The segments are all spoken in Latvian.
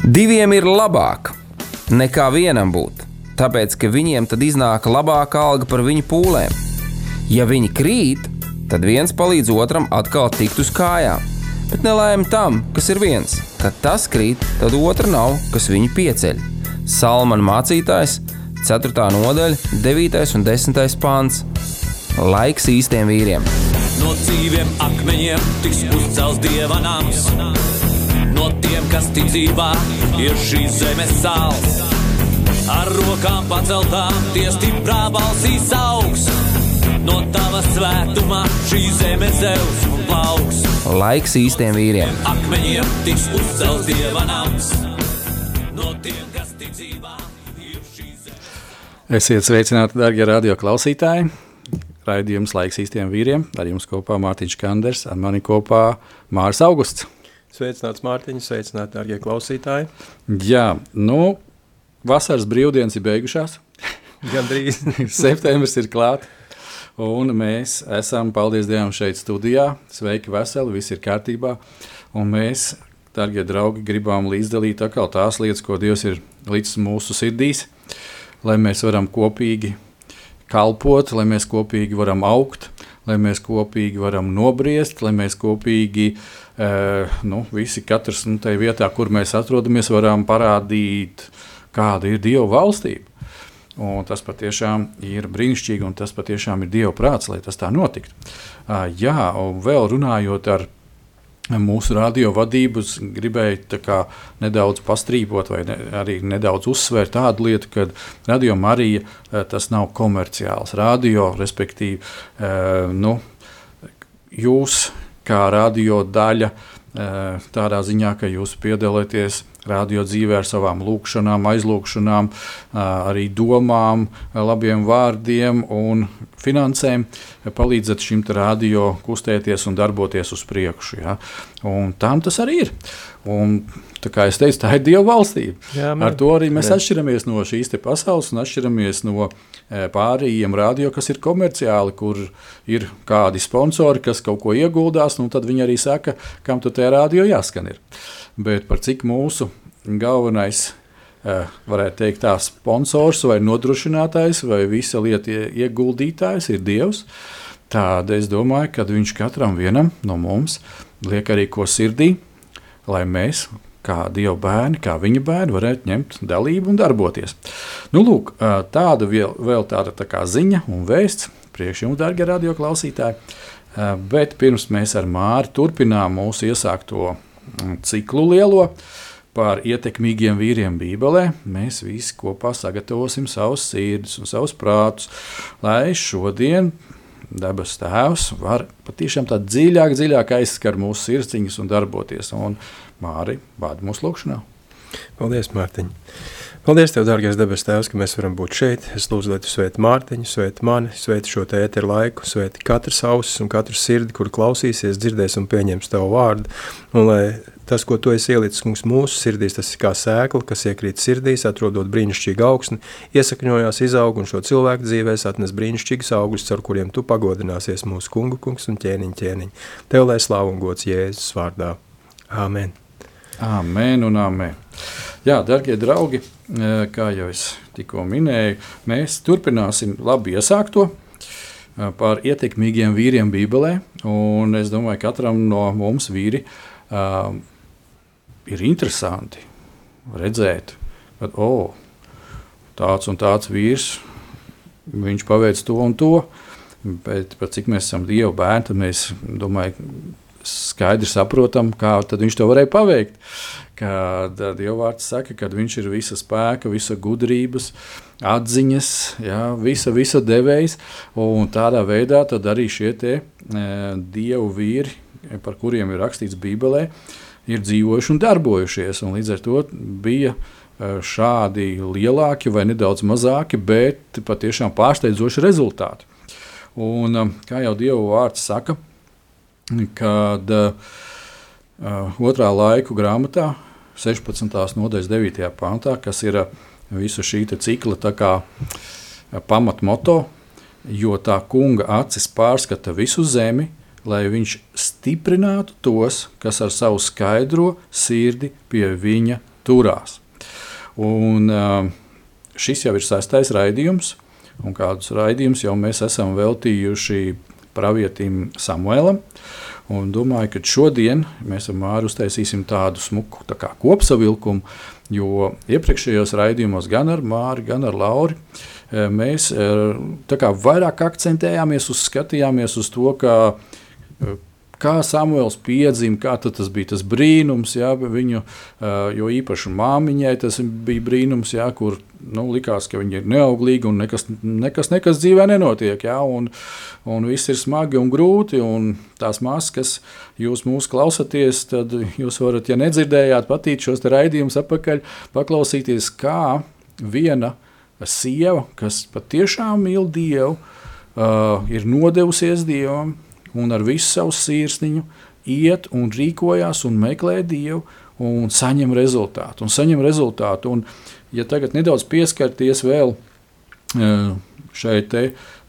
Diviem ir labāk nekā vienam būt, tāpēc, ka viņiem tad iznāk labāka alga par viņu pūlēm. Ja viņi krīt, tad viens palīdz otram atkal tikt uz kājām, bet nelaime tam, kas ir viens. Kad tas krīt, tad otra nav, kas viņu pieceļ. Salmana mācītājs, 4. nodaļa, 9. un 10. pants. Laiks īstiem vīriem. No dzīviem akmeņiem tiks uzcelts Dieva nams. No tiem, kas tic dzīvā, ir šīs zemes sāls. Ar rokām paceltām tie stiprā balsīs augs. No tava svētumā šī zeme zeus un plauks. Laiks īstiem vīriem. Akmeņiem tiks uzcelts Dieva nams. No tiem, kas tic dzīvā, ir šīs zemes. Esiet sveicināti, darbie radio klausītāji. Raidījums Laiks īstiem vīriem. Ar jums kopā Mārtiņš Kanders, ar mani kopā Māris Augusts. Sveicināts Mārtiņš, sveicināti, darbie klausītāji. Jā, vasaras brīvdienas ir beigušās. Gandrīz. Septembris ir klāt. Un mēs esam, paldies Dievam, šeit studijā. Sveiki, veseli, viss ir kārtībā. Un mēs, darbie draugi, gribam līdzdalīt atkal tās lietas, ko Dievs ir līdz mūsu sirdīs, lai mēs varam kopīgi kalpot, lai mēs kopīgi varam augt, lai mēs kopīgi varam nobriest, lai mēs kopīgi, visi katrs tai vietā, kur mēs atrodamies, varam parādīt, kāda ir Dieva valstība. Un tas patiešām ir brīnišķīgi, un tas patiešām ir Dieva prāts, lai tas tā notiktu. Un vēl runājot ar mūsu radio vadības, gribēju nedaudz pastrīpot vai arī nedaudz uzsvērt tādu lietu, ka Radio Marija tas nav komerciāls radio, respektīvi, jūs kā radio daļa tādā ziņā, ka jūs piedalāties radio dzīvē ar savām lūkšanām, aizlūkšanām, arī domām, labiem vārdiem un finansēm, palīdzat šim radio kustēties un darboties uz priekšu. Ja? Un tam tas arī ir. Un, kā es teicu, tā ir Dieva valstība. Jā, ar to arī mēs atšķiramies no šīs te pasaules un atšķiramies no pārējiem radio, kas ir komerciāli, kur ir kādi sponsori, kas kaut ko ieguldās, tad viņi arī saka, kam tu tajā radio jāskan ir. Bet par cik mūsu galvenais, varētu teikt tā, sponsors vai nodrošinātājs vai visa lieta ieguldītājs ir Dievs, tad es domāju, ka viņš katram vienam no mums liek arī ko sirdī, lai mēs, kā Dieva bērni, kā viņa bērni, varētu ņemt dalību un darboties. Lūk, tāda vēl tāda tā kā ziņa un vēsts priekš jums, darbie radio klausītāji, bet pirms mēs ar Māri turpinām mūsu iesākto ciklu lielo par ietekmīgiem vīriem Bībelē, mēs visi kopā sagatavosim savus sirdis un savus prātus, lai šodien debes Tēvs var patiešām tā dziļāk aizskar mūsu sirdsciņas un darboties. Un Māri, vādi mūsu lūkšanā. Paldies, Mārtiņ. Paldies Tev, dārgais debes Tēvs, ka mēs varam būt šeit. Es lūdzu, lai Tu svēti Mārtiņu, svēti mani, svēti šo te ēteru laiku, svēti katras ausis un katru sirdi, kur klausīsies, dzirdēs un pieņems Tavu vārdu. Un lai tas, ko Tu esi ielicis mūsu sirdīs, tas ir kā sēkla, kas iekrīt sirdīs, atrodot brīnišķīgu augsni, iesakņojās, izaug un šo cilvēku dzīvēs atnes brīnišķīgus augļus, ar kuriem Tu pagodināsies mūsu kungs un ķēniņ. Tev lai slāvu un gods Jēzus vārdā. Āmen. Āmen un āmen. Jā, darbie draugi, kā jau es tikko minēju, mēs turpināsim labi iesākto par ietekmīgiem vīriem Bībelē, un es domāju, katram no mums vīri ir interesanti redzēt, ka tāds un tāds vīrs, viņš paveic to un to, bet par cik mēs esam Dieva bērni, tad mēs, domāju, skaidri saprotam, kā tad viņš to varēja paveikt. Kad Dieva vārds saka, kad viņš ir visa spēka, visa gudrības, atziņas, jā, visa devējs, un tādā veidā tad arī šie te Dievu vīri, par kuriem ir rakstīts Bībelē, ir dzīvojuši un darbojušies, un līdz ar to bija šādi lielāki vai nedaudz mazāki, bet patiešām pārsteidzoši rezultāti. Un kā jau Dieva vārds saka, kad otrā laiku grāmatā, 16. nodaļas 9. pantā, kas ir visu šī cikla tā kā pamatmoto, jo tā kunga acis pārskata visu zemi, lai viņš stiprinātu tos, kas ar savu skaidro sirdi pie viņa turās. Un šis jau ir 6. raidījums, un kādus raidījumus jau mēs esam veltījuši pravietim Samuēlam. Un domāju, ka šodien mēs ar Māru uztaisīsim tādu smuku kopsavilkumu, jo iepriekšējos raidījumos gan ar Māri, gan ar Lauri mēs vairāk akcentējāmies skatījāmies uz to, kā Samuēls piedzima, kā tas bija tas brīnums, jā, viņu, jo īpaši māmiņai tas bija brīnums, jā, kur likās, ka viņa ir neauglīga un nekas dzīvē nenotiek, jā, un viss ir smagi un grūti, un tās māsas, kas jūs mūs klausaties, tad jūs varat, ja nedzirdējāt, patīt šos te raidījumus atpakaļ, paklausīties, kā viena sieva, kas patiešām mīl Dievu, ir nodevusies Dievam, un ar visu savu sirsniņu iet un rīkojās un meklē Dievu un saņem rezultātu. Un, ja tagad nedaudz pieskarties vēl šai te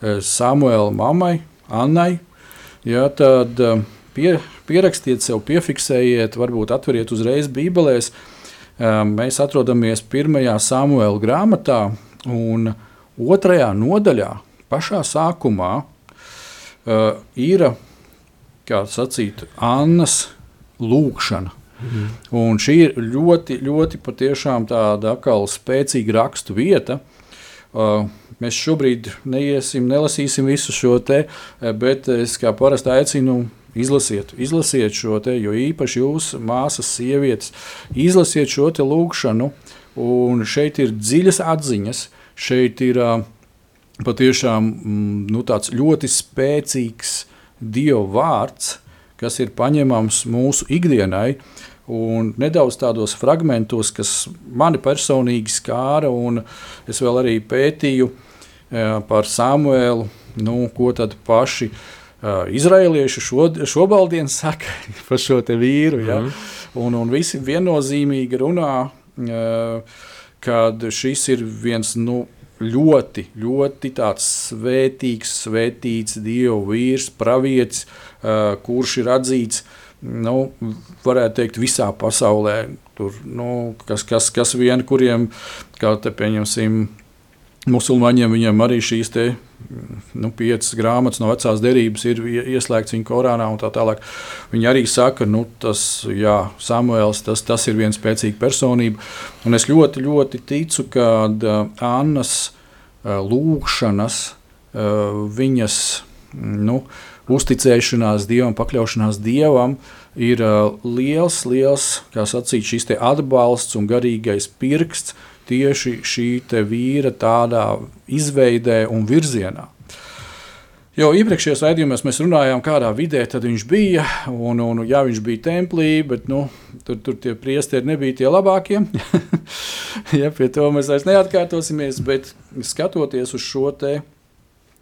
Samuēla mammai, Annai, ja, tad pierakstiet sev, piefiksējiet, varbūt atveriet uzreiz Bībelēs. Mēs atrodamies 1. Samuēla grāmatā un 2. nodaļā, pašā sākumā, ir, kā sacīt, Annas lūkšana. Un šī ir ļoti, ļoti patiešām tāda atkal spēcīga rakstu vieta. Mēs šobrīd nelasīsim visu šo te, bet es kā parasti aicinu izlasiet šo te, jo īpaši jūs, māsas, sievietes, izlasiet šo te lūkšanu, un šeit ir dziļas atziņas, šeit ir patiešām tāds ļoti spēcīgs Dieva vārds, kas ir paņemams mūsu ikdienai, un nedaudz tādos fragmentos, kas mani personīgi skāra, un es vēl arī pētīju par Samuēlu, ko tad paši izraēlieši šobaldien saka par šo te vīru, ja? Un visi viennozīmīgi runā, kad šis ir viens, ļoti, ļoti tāds svētīts Dieva vīrs, pravietis, kurš ir atzīts, varētu teikt, visā pasaulē. Tur, kas vien, kuriem, kā te pieņemsim, musulmaņiem, viņiem arī šīs te 5 grāmatas no vecās derības ir ieslēgts viņa Korānā un tā tālāk. Viņi arī saka, Samuēls, tas ir viens spēcīga personība. Un es ļoti, ļoti ticu, ka Annas lūkšanas, viņas uzticēšanās Dievam, pakļaušanās Dievam ir liels, kā sacīt, šis te atbalsts un garīgais pirksts tieši šī te vīra tādā izveidē un virzienā. Jo iepriekšējos raidījumos mēs runājām, kādā vidē tad viņš bija, un viņš bija templī, bet tur tie priesteri nebija tie labākie. Ja, pie to mēs vairs neatkārtosimies, bet skatoties uz šo te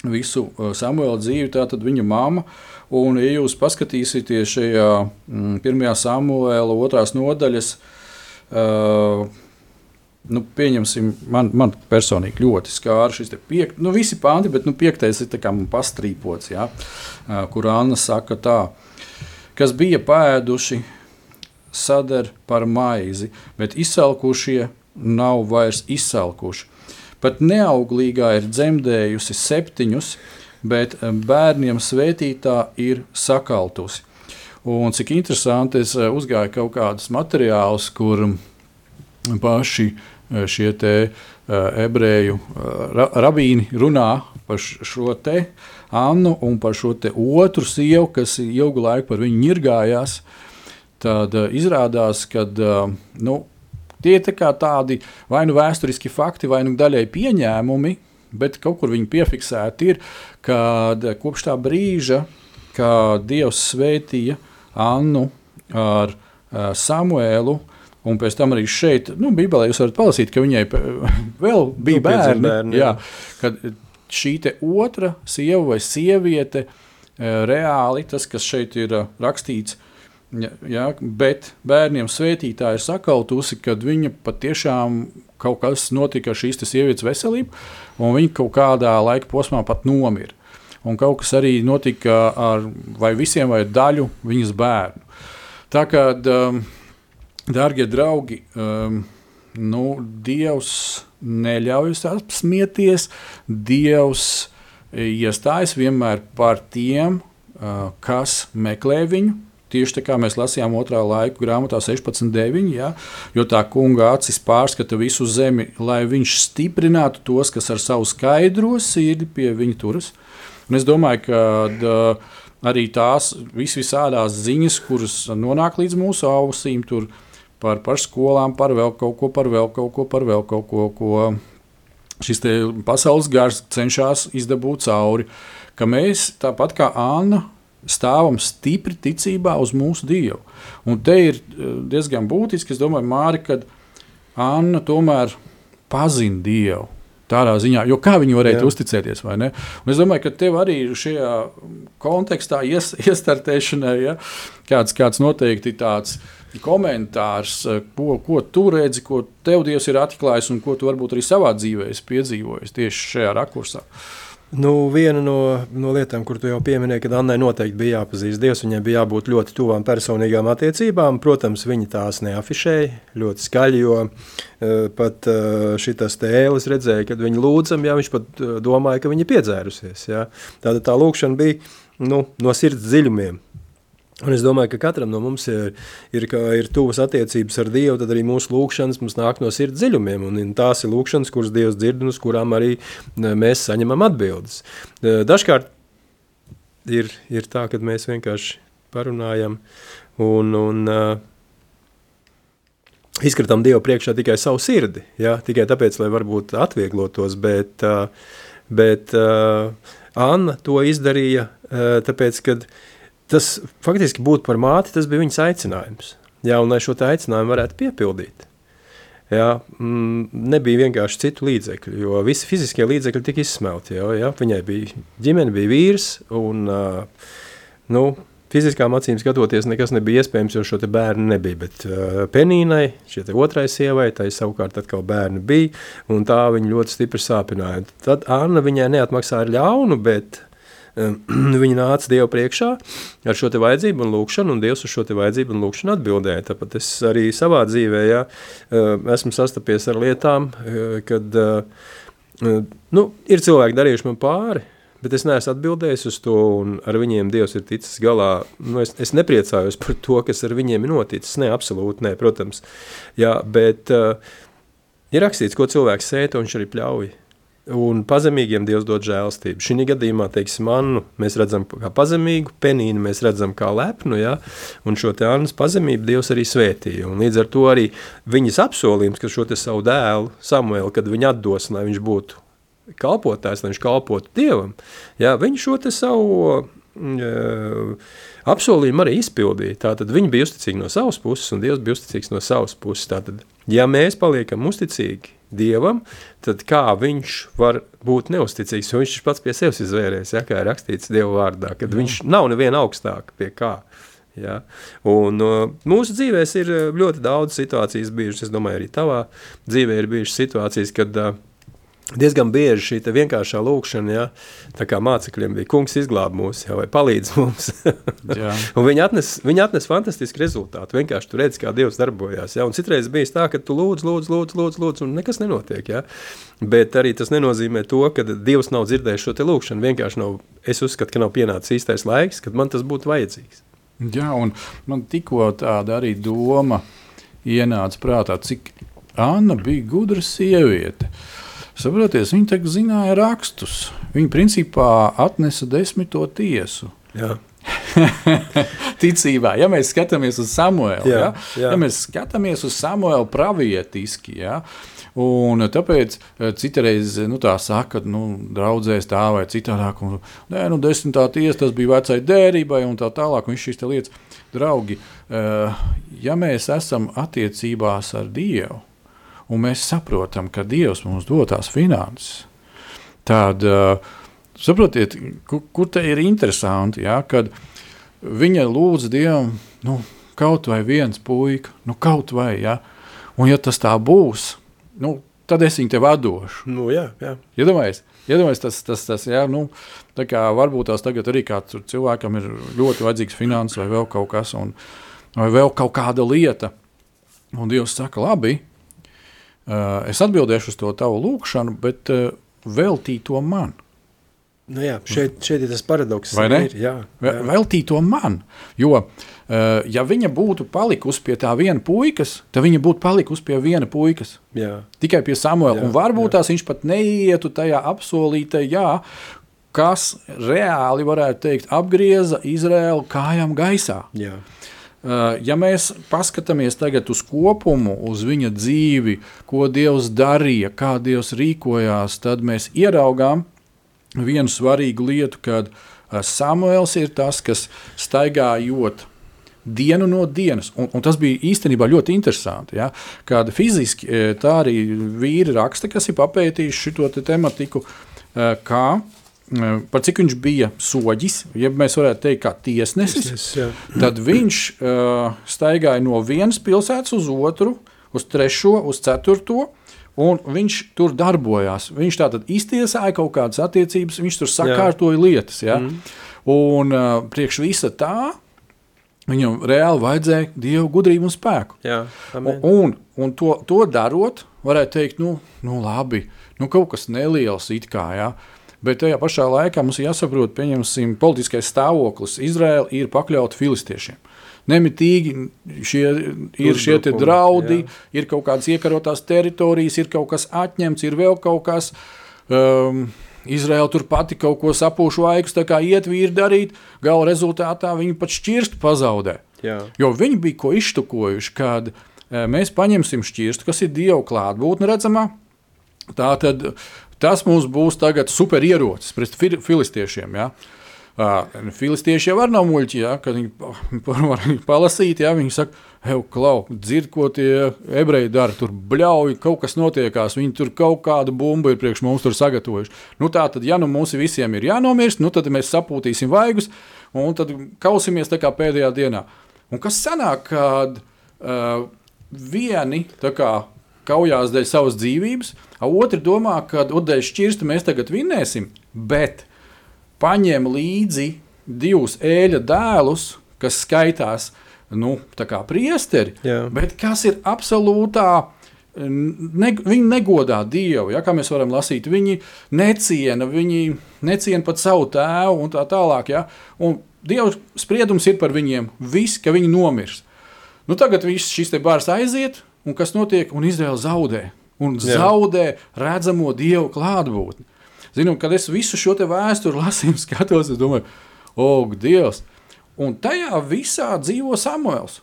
visu Samuēla dzīvi, tā tad viņa mamma, un ja jūs paskatīsieties šajā 1. Samuēla 2. nodaļas, pieņemsim, man personīgi ļoti skāra šis te visi panti, bet 5. ir tā kā man pastrīpots, ja, kur Anna saka tā, kas bija pēduši, sadar par maizi, bet izsalkušie nav vairs izsalkuši. Pat neauglīgā ir dzemdējusi 7, bet bērniem svētītā ir sakaltusi. Un cik interesanti, es uzgāju kaut kādus materiālus, kur paši šie te ebreju rabīni runā par šo te Annu un par šo te otru sievu, kas ilgu laiku par viņu ņirgājās. Tad izrādās, ka tie ir tādi vai vēsturiski fakti, vai daļai pieņēmumi, bet kaut kur viņi piefiksēti ir, kad kopš tā brīža, kad Dievs svētīja Annu ar Samuēlu, un pēc tam arī šeit, Bībelē jūs varat palasīt, ka viņai vēl bija bērni, jā, kad šī te otra sieva vai sieviete reāli, tas, kas šeit ir rakstīts, ja, bet bērniem svētītā ir sakaltusi, kad viņa patiešām kaut kas notika ar šīs te sievietes veselību, un viņa kaut kādā laika posmā pat nomira. Un kaut kas arī notika ar vai visiem vai daļu viņas bērnu. Tā kā Dārgie draugi, Dievs neļauj apsmieties, Dievs iestājas vienmēr par tiem, kas meklē viņu. Tieši tā kā mēs lasījām 2. laiku grāmatā 16.9, ja? Jo tā kunga acis pārskata visu zemi, lai viņš stiprinātu tos, kas ar savu skaidro sirdi pie viņa turas. Un es domāju, ka arī tās visādās ziņas, kuras nonāk līdz mūsu ausīm, tur par skolām, par vēl kaut ko, ko šis te pasaules gars cenšas izdabūt cauri, ka mēs tāpat kā Anna stāvam stipri ticībā uz mūsu Dievu. Un te ir diezgan būtiski, es domāju, Māri, kad Anna tomēr pazina Dievu tādā ziņā, jo kā viņi varētu uzticēties, vai ne? Un es domāju, ka tev arī šajā kontekstā iestartēšanai, ja, kāds noteikti tāds komentārs, ko tu redzi, ko tev Dievs ir atklājis un ko tu varbūt arī savā dzīvē esi piedzīvojis tieši šajā rakursā. Viena no lietām, kur tu jau pieminēji, kad Annai noteikti bija jāpazīst Dievs, viņai bija jābūt ļoti tuvām personīgām attiecībām. Protams, viņa tās neafišēja ļoti skaļi, jo pat šitas tēlis redzēja, kad viņa lūdzam, viņš pat domāja, ka viņa piedzērusies. Ja. Tātad tā lūkšana bija no sirds dziļumiem. Un es domāju, ka katram no mums ir tuvas attiecības ar Dievu, tad arī mūsu lūkšanas mums nāk no sirds dziļumiem, un tās ir lūkšanas, kuras Dievs dzird un uz kurām arī mēs saņemam atbildes. Dažkārt ir tā, kad mēs vienkārši parunājam un izskatām Dievu priekšā tikai savu sirdi, tikai tāpēc, lai varbūt atvieglotos, bet Anna to izdarīja, tāpēc, kad tas faktiski būt par māti, tas bija viņas aicinājums. Un lai šo aicinājumu varētu piepildīt. Nebija vienkārši citu līdzekļu, jo visi fiziskie līdzekļi tika izsmelti. Viņai bija ģimene, bija vīrs, un fiziskām acīm skatoties nekas nebija iespējams, jo šo te bērnu nebija. Bet Penīnai, šie te otrai sievai, tai savukārt atkal bērni bija, un tā viņa ļoti stipri sāpināja. Tad Anna viņai neatmaksāja ļaunu, bet viņa nāca Dievu priekšā ar šo te vajadzību un lūkšanu, un Dievs uz šo te vajadzību un lūkšanu atbildēja. Tāpat es arī savā dzīvē esmu sastapies ar lietām, kad ir cilvēki darījuši man pāri, bet es neesmu atbildējis uz to, un ar viņiem Dievs ir ticis galā. Es nepriecājos par to, kas ar viņiem ir noticis. Ne, absolūti, ne, protams. Bet ir rakstīts, ko cilvēks sēja, to viņš arī pļauj. Un pazemīgiem Dievs dod žēlstību. Šī gadījumā, teiksim, Annu mēs redzam kā pazemīgu, Penīnu mēs redzam kā lepnu, un šo te Annas pazemību Dievs arī svētīja. Un līdz ar to arī viņas apsolījums, ka šo te savu dēlu Samuelu, kad viņa atdos, lai viņš būtu kalpotājs, lai viņš kalpotu Dievam, viņš šo te savu apsolījumu arī izpildīja. Tātad viņi bija uzticīgi no savas puses, un Dievs bija uzticīgs no savas puses. Tātad, ja mēs paliekam uzticīgi Dievam, tad kā viņš var būt neusticīgs, jo viņš pats pie sevis izvērēs, kā ir rakstīts Dieva vārdā, kad viņš nav neviena augstāk pie kā. Un mūsu dzīvēs ir ļoti daudz situācijas bijušas, es domāju, arī tavā dzīvē ir bijušas situācijas, kad diezgan bieži šī te vienkāršā lūkšana, tā kā mācekļiem bija, kungs izglāb mūs, vai palīdz mums. Un viņi atnes fantastisku rezultātu. Vienkārši tu redzi, kā Dievs darbojās. Un citreiz bijis tā, ka tu lūdz, un nekas nenotiek. Bet arī tas nenozīmē to, ka Dievs nav dzirdējis šo te lūkšanu. Vienkārši es uzskatu, ka nav pienācis īstais laiks, kad man tas būtu vajadzīgs. Un man tikko tāda arī doma ienāca prātā, cik Anna bija gudra sieviete. Saproties, viņa tagad zināja rakstus. Viņa principā atnesa 10. tiesu. Ticībā, ja mēs skatāmies uz Samuelu, ja mēs skatāmies uz Samuelu pravietiski, un tāpēc citreiz tā saka, draudzēs tā vai citādāk, un 10. tiesa tas bija vecai dērībai un tā tālāk, un šīs te lietas. Draugi, ja mēs esam attiecībās ar Dievu, un mēs saprotam, ka Dievs mums dod tās finanses, tad saprotiet, kur te ir interesanti, kad viņa lūdz Dievam, kaut vai viens puika, kaut vai, un ja tas tā būs, tad es viņu tev atdošu. Iedomājies tas, tā kā varbūt tās tagad arī kāds cilvēkam ir ļoti vajadzīgs finanses vai vēl kaut kas, vai vēl kaut kāda lieta, Un Dievs saka, labi, es atbildēšu uz to tavu lūkšanu, bet veltī to man. Nu jā, šeit ir tas paradoks. Vai ne? Jā. Veltī to man. Jo, ja viņa būtu palikusi pie tā viena puikas, tad viņa būtu palikusi pie viena puikas. Jā. Tikai pie Samuela. Un varbūt tās viņš pat neietu tajā apsolītajā, kas reāli, varētu teikt, apgrieza Izraēlu kājām gaisā. Jā. Ja mēs paskatāmies tagad uz kopumu, uz viņa dzīvi, ko Dievs darīja, kā Dievs rīkojās, tad mēs ieraugām vienu svarīgu lietu, kad Samuels ir tas, kas staigājot dienu no dienas, un tas bija īstenībā ļoti interesanti, ja? Kad fiziski tā arī vīri raksta, kas ir papētījuši šito tematiku, kā par cik viņš bija soģis, ja mēs varētu teikt kā tiesnesis, tad viņš staigāja no vienas pilsētas uz otru, uz trešo, uz ceturto, un viņš tur darbojās. Viņš tātad iztiesāja kaut kādas attiecības, viņš tur sakārtoja lietas. Ja? Un priekš visa tā, viņam reāli vajadzēja Dievu gudrību un spēku. Jā, un to darot, varētu teikt, nu labi, kaut kas neliels it kā, ja? Bet tajā pašā laikā mums jāsaprot, pieņemsim, politiskais stāvoklis. Izraēla ir pakļauta filistiešiem. Nemitīgi šie te draudi, ir kaut kādas iekarotās teritorijas, ir kaut kas atņemts, ir vēl kaut kas. Izraēla tur pati kaut ko sapūšu vaigus, tā kā iet vīri darīt, gala rezultātā viņi pat šķirstu pazaudē. Jā. Jo viņi bija ko izštukojuši, kad mēs paņemsim šķirstu, kas ir Dieva klātbūtne redzamā, tātad tas mums būs tagad superierocis pret filistiešiem, ja? Filistieši jau var nav muļķi, ja, kad viņi var palasīt, ja, viņi saka, klau, dzird, ko tie ebreji dara, tur bļauj, kaut kas notiekās, viņi tur kaut kādu bumbu ir priekš mums tur sagatavojuši. Nu tā tad, ja mums visiem ir jānomirst, nu tad mēs sapūtīsim vaigus, un tad kausimies tā kā pēdējā dienā. Un kas sanāk, kad vieni tā kā kaujās dēļ savas dzīvības, a otri domā, kad dēļ šķirstu mēs tagad vinnēsim, bet paņem līdzi divus ēļa dēlus, kas skaitās, tā kā priesteri, bet kas ir absolūtā, viņi negodā Dievu, ja, kā mēs varam lasīt, viņi neciena pat savu tēvu un tā tālāk, ja, un Dieva spriedums ir par viņiem viss, ka viņi nomirs. Nu tagad viss šis te bārs aiziet, un kas notiek, un Izraēla zaudē, un zaudē redzamo Dievu klātbūtni. Zinu, kad es visu šo te vēsturi lasīju, skatos, es domāju, Dievs. Un tajā visā dzīvo Samuels.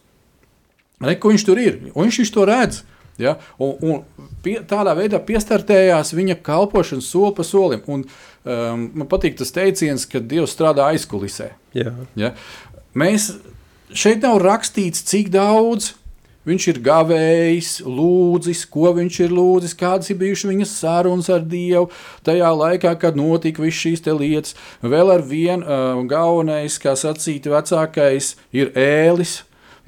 Ko viņš tur ir, un viņš to redz. Ja? Un tādā veidā piestartējās viņa kalpošanas soli pa solim. Un man patīk tas teiciens, ka Dievs strādā aizkulisē. Ja? Mēs šeit nav rakstīts, cik daudz viņš ir gavējis, lūdzis, ko viņš ir lūdzis, kādas ir bijušas viņas sarunas ar Dievu tajā laikā, kad notika viss šīs te lietas. Vēl ar vienu galvenais, kā sacīt, vecākais ir Ēlis,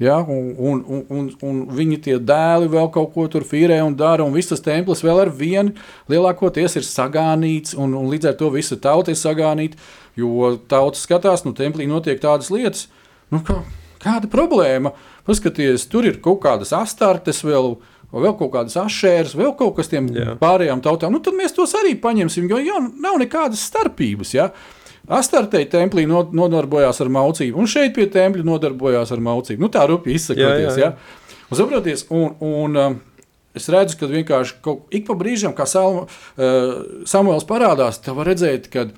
ja? un viņi tie dēli vēl kaut ko tur fīrē un dara, un viss tas templis vēl ar vienu lielākoties ir sagānīts, un līdz ar to visa tauta ir sagānīta, jo tauta skatās, templī notiek tādas lietas, kāda problēma? Paskaties, tur ir kaut kādas astartes, vēl kaut kādas ašēras, vēl kaut kas tiem pārējām tautām. Tad mēs tos arī paņemsim, jo nav nekādas starpības. Ja? Astartei templī nodarbojās ar maucību, un šeit pie tempļa nodarbojās ar maucību. Tā rupi izsakoties. Jā. Un saproties, un es redzu, ka vienkārši ik pa brīžam, kā Samuels parādās, tā var redzēt, kad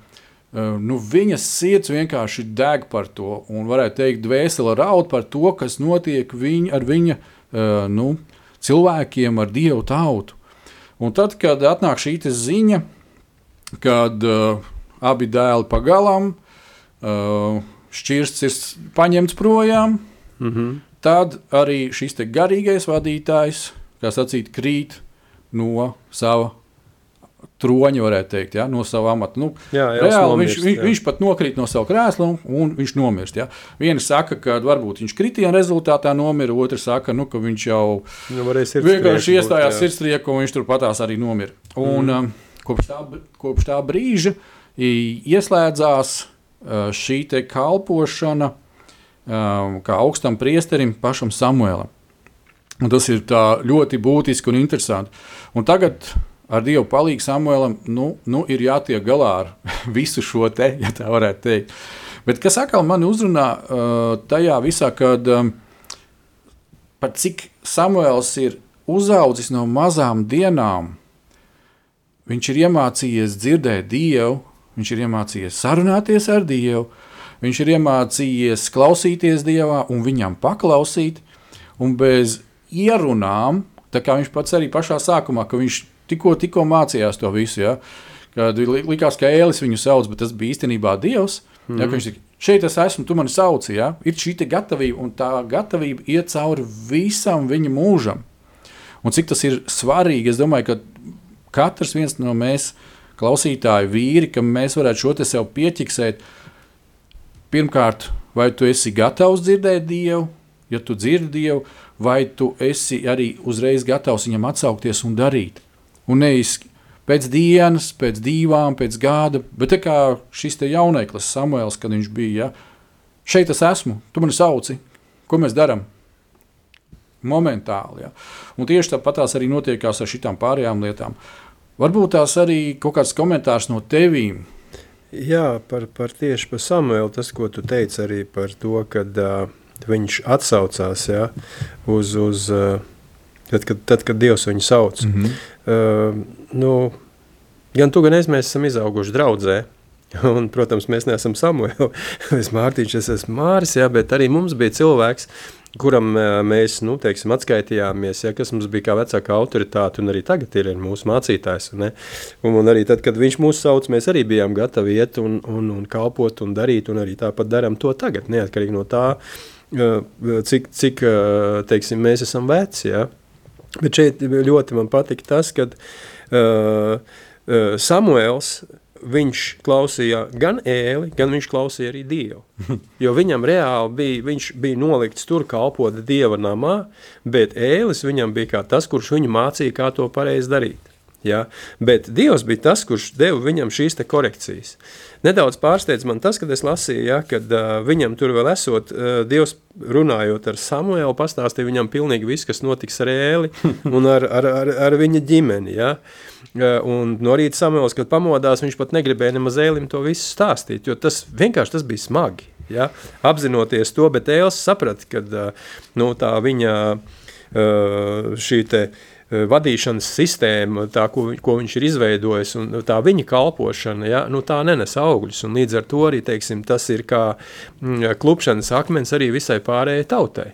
viņas sirds vienkārši deg par to, un varētu teikt, dvēsele raud par to, kas notiek ar viņa cilvēkiem, ar Dievu tautu. Un tad, kad atnāk šī ziņa, kad abi dēli pagalām, šķirsts ir paņemts projām, tad arī šis te garīgais vadītājs, kā sacīt, krīt no sava troņa, varētu teikt, ja, no sava amata. Reāli viņš pat nokrīt no sava krēsla un viņš nomirst. Ja. Vieni saka, ka varbūt viņš kritiena rezultātā nomira, otri saka, ka viņš jau vienkārši iestājās sirdstrieku un viņš tur patās arī nomira. Un kopš tā brīža ieslēdzās šī te kalpošana kā augstam priesterim pašam Samuēlam. Un tas ir tā ļoti būtiski un interesanti. Un tagad ar Dievu palīgu Samuelam ir jātiek galā ar visu šo te, ja tā varētu teikt. Bet kas atkal mani uzrunā tajā visā, kad par cik Samuels ir uzaudzis no mazām dienām, viņš ir iemācījies dzirdēt Dievu, viņš ir iemācījies sarunāties ar Dievu, viņš ir iemācījies klausīties Dievā un viņam paklausīt, un bez ierunām, tā kā viņš pats arī pašā sākumā, ka viņš tikko mācījās to visu, ja, kad likās, ka Ēlis viņu sauc, bet tas bija īstenībā Dievs, ja, ka viņš tika, šeit es esmu, tu mani sauci, ja, ir šī te gatavība, un tā gatavība iet cauri visam viņa mūžam. Un cik tas ir svarīgi, es domāju, ka katrs viens no mēs klausītāju vīri, ka mēs varētu šo te sev pieķiksēt. Pirmkārt, vai tu esi gatavs dzirdēt Dievu, ja tu dzirdi Dievu, vai tu esi arī uzreiz gatavs viņam atsaukties un darīt. Un nevis pēc dienas, pēc divām, pēc gada, bet tā kā šis te jauneklis Samuels, kad viņš bija, ja, šeit es esmu, tu mani sauci, ko mēs daram? Momentāli, ja. Un tieši tāpat tās arī notiekās ar šitām pārējām lietām. Varbūt tās arī kaut kāds komentārs no tevīm. Jā, tieši par Samuelu, tas, ko tu teici arī par to, kad viņš atsaucās, ja, tad, kad Dievs viņu sauc. Gan tu, gan mēs esam izauguši draudzē, un, protams, mēs neesam Samuelu, es Mārtiņš, es esmu Māris, ja, bet arī mums bija cilvēks, kuram mēs, teiksim, atskaitījāmies, ja, kas mums bija kā vecākā autoritāte, un arī tagad ir mūsu mācītājs. Ne? Un arī tad, kad viņš mūs sauc, mēs arī bijām gatavi iet un kalpot un darīt, un arī tāpat daram to tagad, neatkarīgi no tā, cik teiksim, mēs esam veci. Ja? Bet šeit ļoti man patika tas, kad Samuels, viņš klausīja gan Ēli, gan viņš klausīja arī Dievu. Jo viņam reāli viņš bija nolikts tur kalpot Dieva namā, bet Ēlis viņam bija kā tas, kurš viņu mācīja, kā to pareizi darīt. Ja? Bet Dievs bija tas, kurš deva viņam šīs te korekcijas. Nedaudz pārsteidz man tas, kad es lasīju, ja, kad viņam tur vēl esot, Dievs runājot ar Samuelu, pastāstīja viņam pilnīgi viss, kas notiks ar Ēli un ar viņa ģimeni. Ja. Un no rīta Samuels, kad pamodās, viņš pat negribēja nemaz Ēlim to visu stāstīt, jo tas vienkārši bija smagi. Ja. Apzinoties to, bet Ēlis saprata, kad tā viņa šī te vadīšanas sistēma, tā, ko viņš ir izveidojis, un tā viņa kalpošana, ja, tā nenes augļus, un līdz ar to arī, teiksim, tas ir kā klupšanas akmens arī visai pārējai tautai.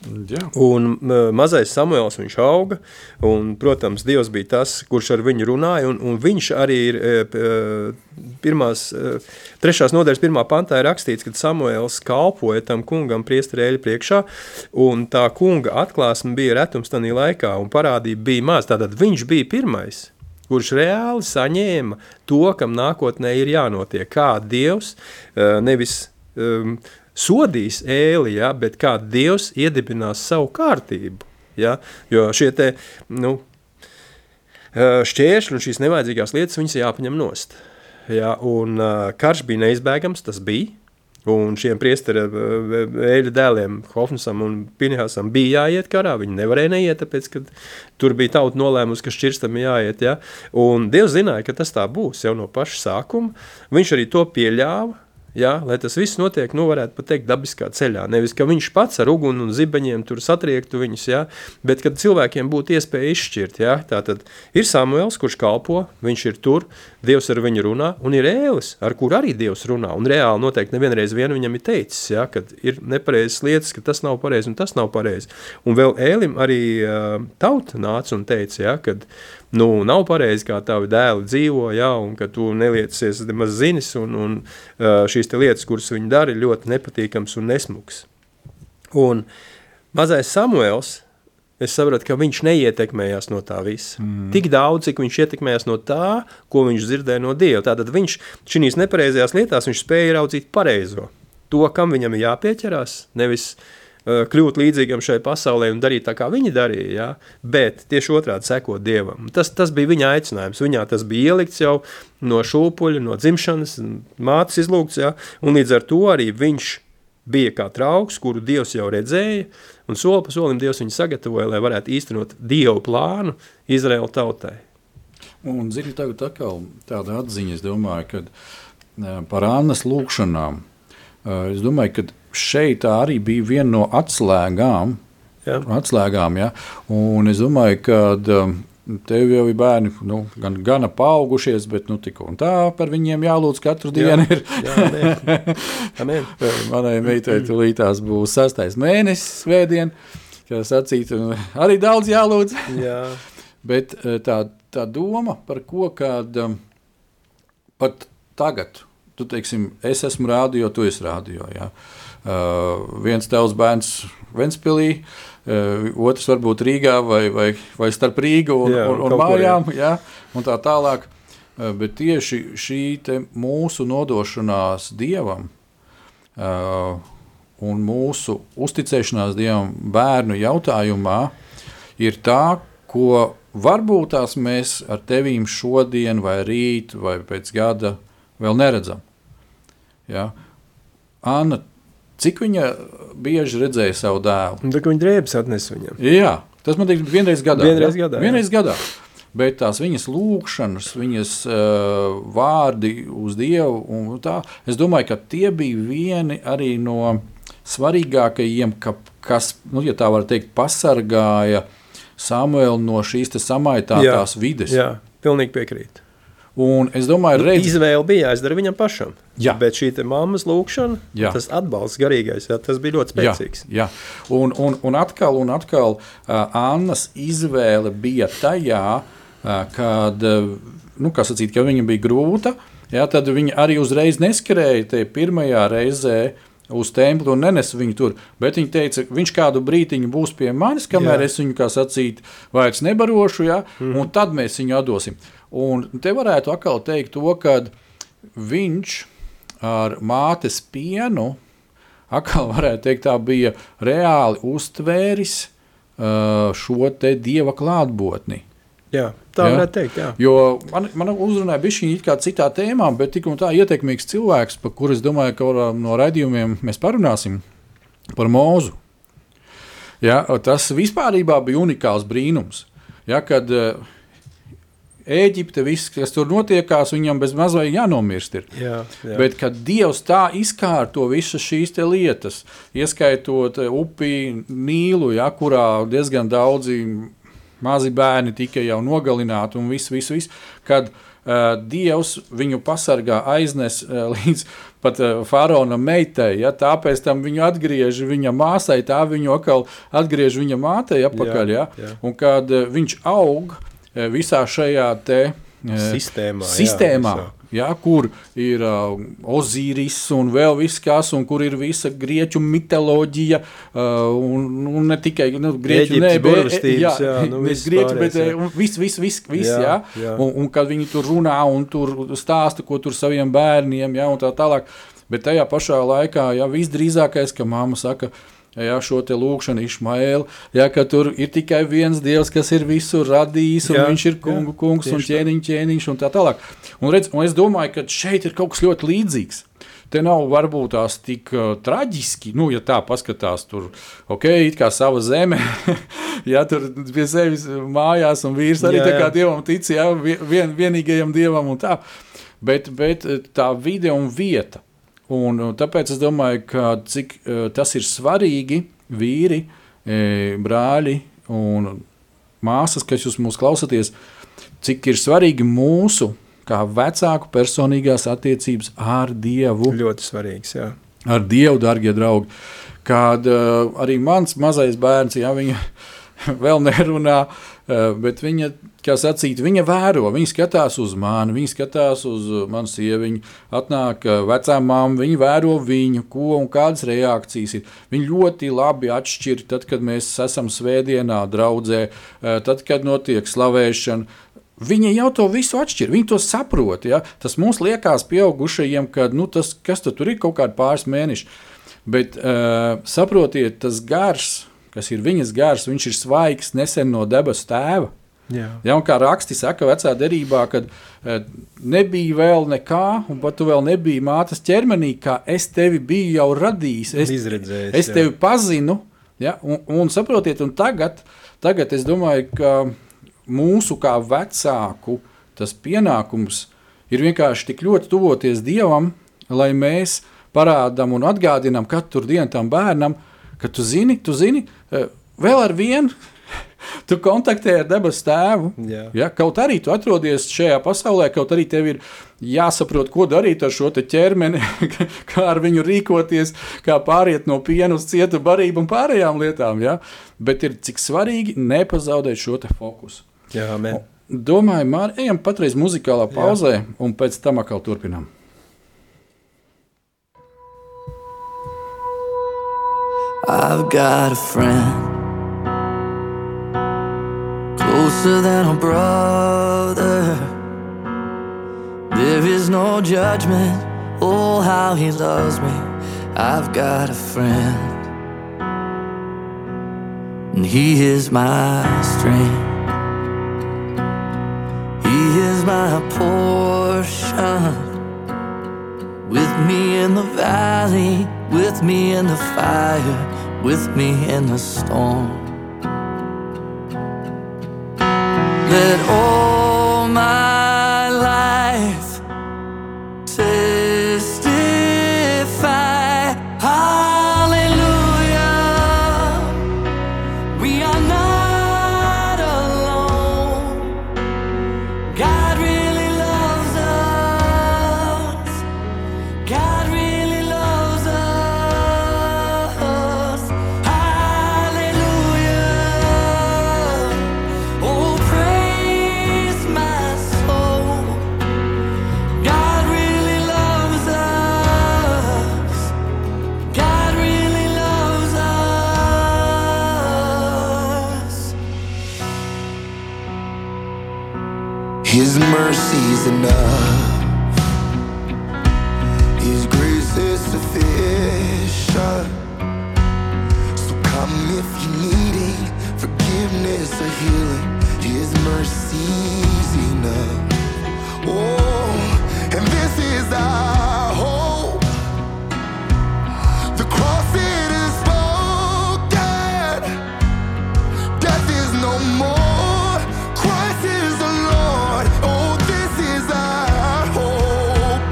Jā. Un mazais Samuels viņš auga, un, protams, Dievs bija tas, kurš ar viņu runāja, un viņš arī ir 3. nodaļas 1. pantā ir rakstīts, kad Samuels kalpoja tam kungam priesteri Ēļa priekšā, un tā kunga atklāsme bija retums tanī laikā, un parādība bija maz, tātad viņš bija pirmais, kurš reāli saņēma to, kam nākotnē ir jānotiek, kā Dievs nevis sodīs Ēli, ja, bet kā Dievs iedibinās savu kārtību. Ja, jo šie te, šķēršļi un šīs nevajadzīgās lietas, viņas jāpaņem nost. Ja, un karš bija neizbēgams, tas bija, un šiem priestera Ēļa dēliem Hofnisam un Pinehasam bija jāiet karā, viņi nevarēja neiet, tāpēc, ka tur bija tauta nolēmusi, ka šķirstam jāiet. Ja, un Dievs zināja, ka tas tā būs jau no paša sākuma, viņš arī to pieļāva, ja, lai tas viss notiek, varētu pat teikt, dabiskā ceļā. Nevis, ka viņš pats ar uguni un zibeņiem tur satriektu viņus, ja, bet kad cilvēkiem būtu iespēja izšķirt. Ja, tātad ir Samuels, kurš kalpo, viņš ir tur, Dievs ar viņu runā, un ir Ēlis, ar kur arī Dievs runā. Un reāli noteikti nevienreiz viņam ir teicis, ja, kad ir nepareizas lietas, ka tas nav pareizi un tas nav pareizi. Un vēl Ēlim arī tauta nāca un teica, ja, kad nav pareizi, kā tavi dēli dzīvo, ja, un ka tu neliecies nemaz zinis, un šīs te lietas, kuras viņi dara, ir ļoti nepatīkams un nesmuks. Un mazais Samuels, es sapratu, ka viņš neietekmējās no tā visa. Tik daudz, cik viņš ietekmējās no tā, ko viņš dzirdēja no Dieva. Tātad viņš šīs nepareizajās lietās, viņš spēja ieraudzīt pareizo. To, kam viņam ir jāpieķerās, nevis kļūt līdzīgam šai pasaulē un darīt tā, kā viņi darīja, ja? Bet tieši otrādi sekot Dievam. Tas bija viņa aicinājums. Viņā tas bija ielikts jau no šūpuļa, no dzimšanas, mātes izlūgts, ja? Un līdz ar to arī viņš bija kā trauks, kuru Dievs jau redzēja, un soli pa solim Dievs viņu sagatavoja, lai varētu īstenot Dievu plānu Izraēla tautai. Un, zini, tagad atkal tāda atziņa, es domāju, ka par Annas lūkšanām, es domāju, ka šeit tā arī bija viena no atslēgām, ja? Un es domāju, ka tev jau ir bērni gana paaugušies, bet tik un tā par viņiem jālūdz katru dienu ir. Amen. Manai meitai tūlītās būs 6. mēnesis svētdien, kā sacīt, arī daudz jālūdz. Jā. Bet tā doma par ko, kad pat tagad, tu teiksim, es esmu rādio, tu esi rādio, jā. Viens tavs bērns Ventspilī, otrs varbūt Rīgā vai starp Rīgu un mājām, jā, un tā tālāk. Bet tieši šī te mūsu nodošanās Dievam un mūsu uzticēšanās Dievam bērnu jautājumā ir tā, ko varbūt tās mēs ar tevīm šodien vai rīt vai pēc gada vēl neredzam. Ja? Anna, cik viņa bieži redzēja savu dēlu? Tā, ka viņa drēbes atnes viņam. Jā, tas man teiks vienreiz gadā. Vienreiz gadā. Bet tās viņas lūkšanas, viņas vārdi uz Dievu, un tā, es domāju, ka tie bija vieni arī no svarīgākajiem, kas, ja tā var teikt, pasargāja Samuelu no šīs te samaitātās vides. Jā, pilnīgi piekrīt. Un es domāju, izvēle bija jāizdara viņam pašam. Jā. Bet šī te mammas lūkšana, tas atbalsts garīgais, tas bija ļoti spēcīgs. Jā. Un atkal Annas izvēle bija tajā, kad, kā sacīt, ka viņa bija grūta, tad viņa arī uzreiz neskrēja te pirmajā reizē uz templi un nenes viņu tur, bet viņa teica, viņš kādu brītiņu būs pie manis, kamēr es viņu, kā sacīt, vairs nebarošu, un tad mēs viņu atdosim. Un te varētu atkal teikt to, kad viņš ar mātes pienu, atkal varētu teikt, tā bija reāli uztvēris šo te Dieva klātbūtni. Jā, tā varētu teikt, jā. Jo man uzrunāja bišķiņi it kā citā tēmā, bet tik un tā ietekmīgs cilvēks, par kuru es domāju, ka no raidījumiem mēs parunāsim, par Mūzu. Ja, tas vispārībā bija unikāls brīnums, ja, kad Ēģipte, viss, kas tur notiekās, viņam bez mazai jānomirst ir. Jā. Bet, kad Dievs tā izkārto visas šīs te lietas, ieskaitot upi Nīlu, ja, kurā diezgan daudzi mazi bērni tika jau nogalināti un viss, kad Dievs viņu pasargā aiznes līdz pat faraona meitai, ja, tāpēc tam viņu atgriež viņa māsai, tā viņu atkal atgriež viņa mātei apakaļ, ja, un kad viņš aug visā šajā te sistēmā ja, kur ir Ozīris un vēl viss kas, un kur ir visa grieķu mitoloģija, un ne tikai grieķu, viss, jā. Un kad viņi tur runā un tur stāsta, ko tur saviem bērniem, ja, un tā tālāk, bet tajā pašā laikā, ja, visdrīzākais, ka mamma saka, ja, šo te lūkšanu Išmaēlu, ja, ka tur ir tikai viens Dievs, kas ir visu radījis, un viņš ir kungs un ķēniņš un tā tālāk. Un es domāju, ka šeit ir kaut kas ļoti līdzīgs. Te nav varbūt tās tik traģiski, ja tā paskatās tur, it kā sava zeme, ja tur pie sevis mājās un vīrs arī tā kā Dievam tic, ja, vienīgajam Dievam un tā, bet tā vide un vieta. Un tāpēc es domāju, ka cik tas ir svarīgi, vīri, brāļi un māsas, kas jūs mūs klausaties, cik ir svarīgi mūsu, kā vecāku personīgās attiecības ar Dievu. Ļoti svarīgs, jā. Ar Dievu, dargie draugi. Kad arī mans mazais bērns, ja viņa vēl nerunā, bet viņa, kā sacīt, viņa vēro, viņa skatās uz mani, viņa skatās uz manu sieviņu, atnāk vecā mamma, viņa vēro viņu, ko un kādas reakcijas ir. Viņa ļoti labi atšķir, tad, kad mēs esam svētdienā draudzē, tad, kad notiek slavēšana. Viņa jau to visu atšķir, viņa to saprot. Ja? Tas mums liekas pieaugušajiem, ka kas tur ir kaut kādi pāris mēneši. Bet saprotiet, tas gars, kas ir viņas gars, viņš ir svaigs nesen no debesu tēva. Ja, un kā raksti saka vecā derībā, kad nebija vēl nekā, un pat tu vēl nebija mātes ķermenī, kā es tevi biju jau radījis, es tevi pazinu, ja, un saprotiet, un tagad es domāju, ka mūsu kā vecāku tas pienākums ir vienkārši tik ļoti tuvoties Dievam, lai mēs parādām un atgādinām katru dienu tam bērnam, ka tu zini, vēl ar vienu, tu kontaktē ar debesu tēvu. Ja, kaut arī tu atrodies šajā pasaulē, kaut arī tev ir jāsaprot, ko darīt ar šo te ķermeni, kā ar viņu rīkoties, kā pāriet no piena uz cietu barību un pārējām lietām. Ja? Bet ir cik svarīgi nepazaudēt šo te fokusu. Jā, amen. Domāju, Māri, ejam patreiz muzikālā pauzē, un pēc tam atkal turpinām. I've got a friend closer than a brother. There is no judgment. Oh, how he loves me. I've got a friend, and he is my strength. He is my portion. With me in the valley, with me in the fire, with me in the storm. Let all my life testify, hallelujah, we are not alone. God really loves us. God really loves us. Hallelujah. Oh, praise my soul. God really loves us. God really loves us. His mercy's enough. His grace is sufficient. So come if you're needing forgiveness or healing. His mercy's enough. Oh, and this is our hope. The cross it is spoken. Death is no more. Christ is the Lord. Oh, this is our hope.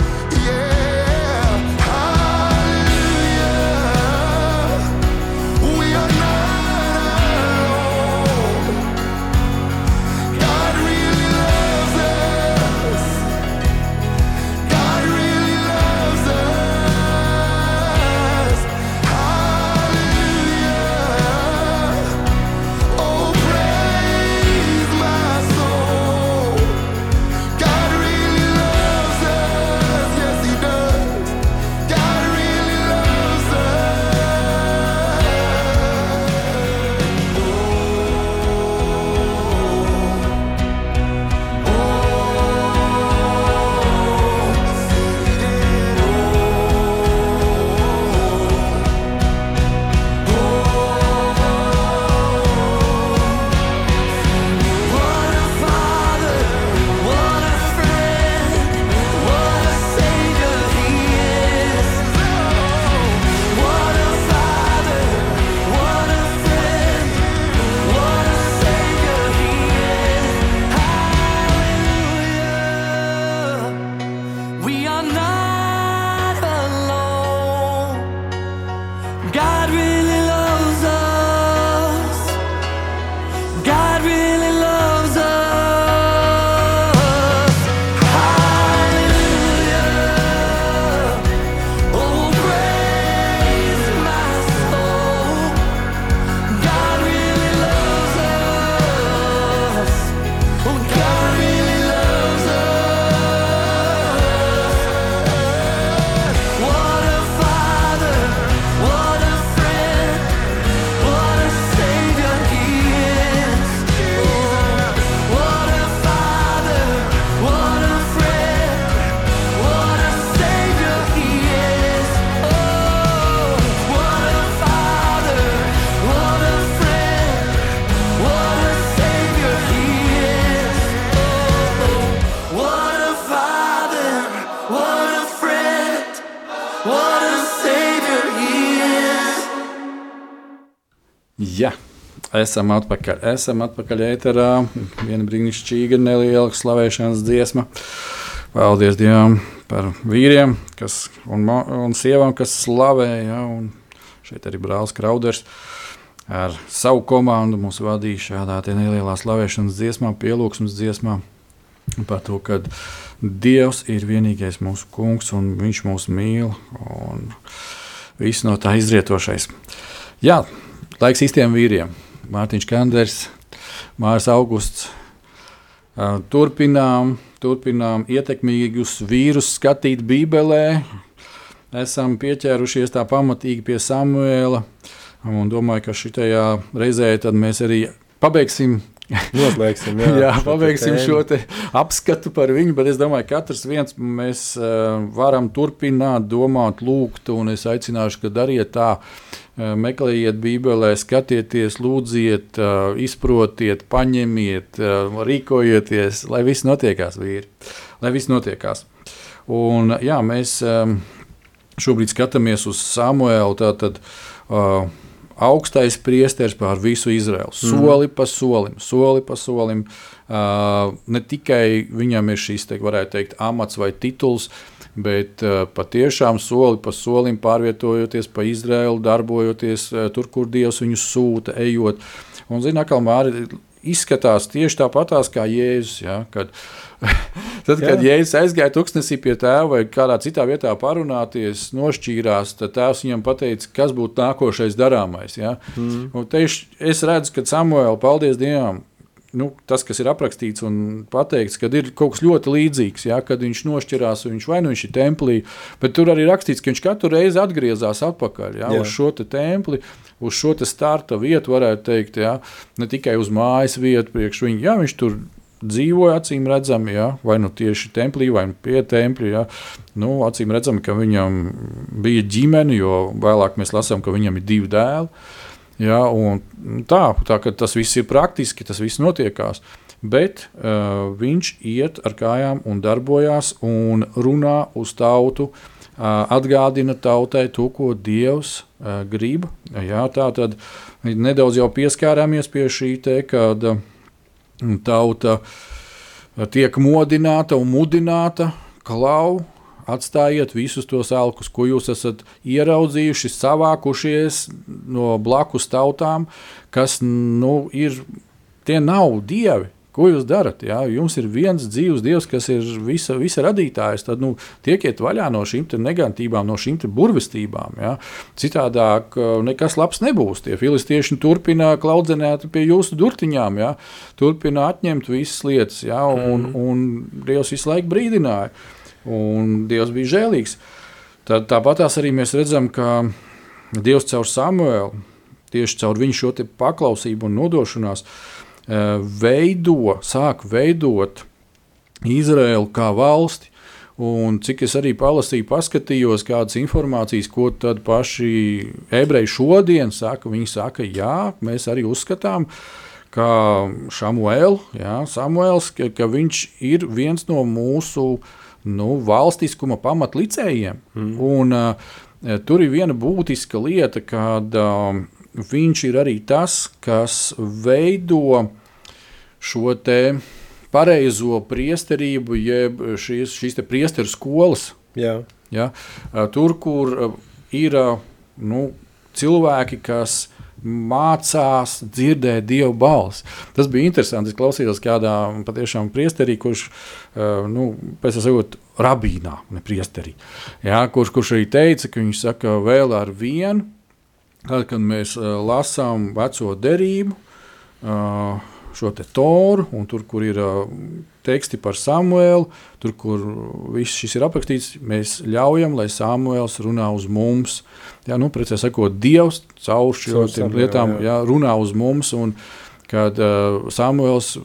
Yeah. Hallelujah. We are not alone. God really loves us. God really Jā, esam atpakaļ ēterā. Viena brīnišķīga neliela slavēšanas dziesma. Paldies Dievam par vīriem un sievām, kas slavē. Ja, un šeit arī brālis Krauders ar savu komandu mūs vadīja šādā nelielā slavēšanas dziesmā, pielūgsmes dziesmā. Par to, ka Dievs ir vienīgais mūsu kungs un viņš mūs mīl un viss no tā izrietošais. Jā, laiks īstiem vīriem. Mārtiņš Kanders, Māris Augusts. Turpinām ietekmīgus vīrus skatīt Bībelē. Esam pieķērušies tā pamatīgi pie Samuēla un domāju, ka šitajā reizē tad mēs arī pabeigsim pabeigsim šo te apskatu par viņu, bet es domāju, ka katrs viens mēs varam turpināt, domāt, lūgt, un es aicināšu, ka dariet tā, meklējiet Bībelē, skatieties, lūdziet, izprotiet, paņemiet, rīkojieties, lai viss notiekās, vīri, lai viss notiekās. Un jā, mēs šobrīd skatāmies uz Samuēlu, tātad augstais priesteris pār visu Izraelu, soli pa solim. Ne tikai viņam ir šis, varētu teikt, amats vai tituls, bet patiešām soli pa solim pārvietojoties pa Izraelu, darbojoties tur, kur Dievs viņu sūta, ejot. Un, zini, atkal Māri izskatās tieši tāpatās kā Jēzus, ja, kad Jēzus aizgāja tuksnesī pie tēva vai kādā citā vietā parunāties, nošķīrās, tad tēvs viņam pateica, kas būtu nākošais darāmais. Ja. Un tieši es redzu, ka Samuēla, paldies Dievam, tas, kas ir aprakstīts un pateikts, kad ir kaut kas ļoti līdzīgs, ja, kad viņš nošķirās, viņš ir templī, bet tur arī rakstīts, ka viņš katru reizi atgriezās atpakaļ, ja, uz šo te templi, uz šo te starta vietu, varētu teikt, ja, ne tikai uz mājas vietu priekš viņu, ja, viņš tur dzīvoja, acīm redzami, ja, vai tieši templī, vai pie tempļa, ja, acīm redzami, ka viņam bija ģimene, jo vēlāk mēs lasām, ka viņam ir 2 dēli, ja, un tā, ka tas viss ir praktiski, tas viss notiekās, bet viņš iet ar kājām un darbojās un runā uz tautu, atgādina tautai to, ko Dievs grib, ja, tā tad nedaudz jau pieskārāmies pie šī te, kad tauta tiek modināta un mudināta, klau, atstājiet visus tos elkus, ko jūs esat ieraudzījuši, savākušies no blakus tautām, kas, tie nav dievi. Ko jūs darat? Ja? Jums ir viens dzīvs Dievs, kas ir visa radītājs, tad tiekiet vaļā no šīm te negantībām, no šīm te burvestībām. Ja? Citādāk nekas labs nebūs. Tie filistieši turpina klaudzenēt pie jūsu durtiņām, ja? Turpina atņemt visas lietas, ja? un Dievs visu laiku brīdināja. Un Dievs bija žēlīgs. Tāpatās arī mēs redzam, ka Dievs caur Samuēlu, tieši caur viņu šo te paklausību un nodošanās, sāk veidot Izraēlu kā valsti, un cik es arī paskatījos kādas informācijas, ko tad paši ebreji šodien saka, viņi saka, jā, mēs arī uzskatām, ka Samuēls, ka viņš ir viens no mūsu valstiskuma pamatlicējiem, un tur ir viena būtiska lieta, kad viņš ir arī tas, kas veido šo te pareizo priesterību, jeb šīs te priesteru skolas. Jā. Ja? Tur, kur ir cilvēki, kas mācās dzirdēt Dievu balsi. Tas bija interesanti. Es klausījos kādā patiešām priesterī, kurš, pēc sakot, rabīnā, ne priesterī, ja? kurš arī teica, ka viņš saka vēl ar vienu, tad, kad mēs lasām veco derību, šo te Toru, un tur, kur ir teksti par Samuēlu, tur, kur viss šis ir aprakstīts, mēs ļaujam, lai Samuēls runā uz mums. Jā, precīzi sakot, Dievs caur šīm lietām runā uz mums, un kad Samuēls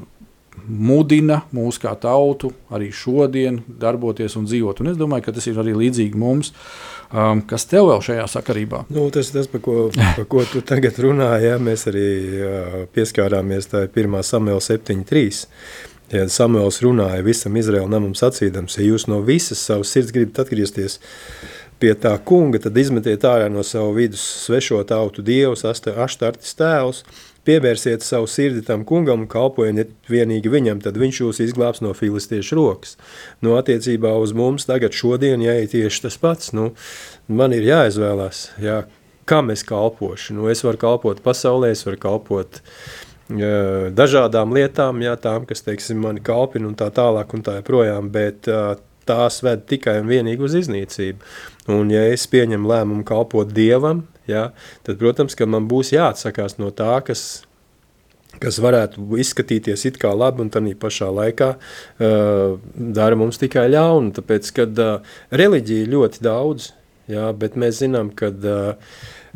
mudina mūs kā tautu arī šodien darboties un dzīvot. Un es domāju, ka tas ir arī līdzīgi mums. Kas tev vēl šajā sakarībā? Tas par ko tu tagad runāji, ja? Mēs arī pieskārāmies tā 1. Samuēla 7.3. Ja Samuēls runāja visam Izraēla namam sacīdams, ja jūs no visas savas sirds gribat atgriezties pie tā kunga, tad izmetiet ārā no savu vidus svešo tautu dievus, aštartis tēvus, pievērsiet savu sirdi tam kungam un kalpojiet vienīgi viņam, tad viņš jūs izglābs no filistiešu rokas. Nu, attiecībā uz mums tagad šodien jāiet tieši tas pats. Nu, man ir jāizvēlās, kam es kalpošu. Nu, es varu kalpot pasaulē, es varu kalpot dažādām lietām, tām, kas, teiksim, mani kalpina un tā tālāk un tā joprojām, bet tās ved tikai un vienīgi uz iznīcību. Un ja es pieņemu lēmumu kalpot Dievam, tad, protams, ka man būs jāatsakās no tā, kas varētu izskatīties it kā labi un tādā pašā laikā dara mums tikai ļaunu, tāpēc, kad reliģija ļoti daudz, bet mēs zinām, kad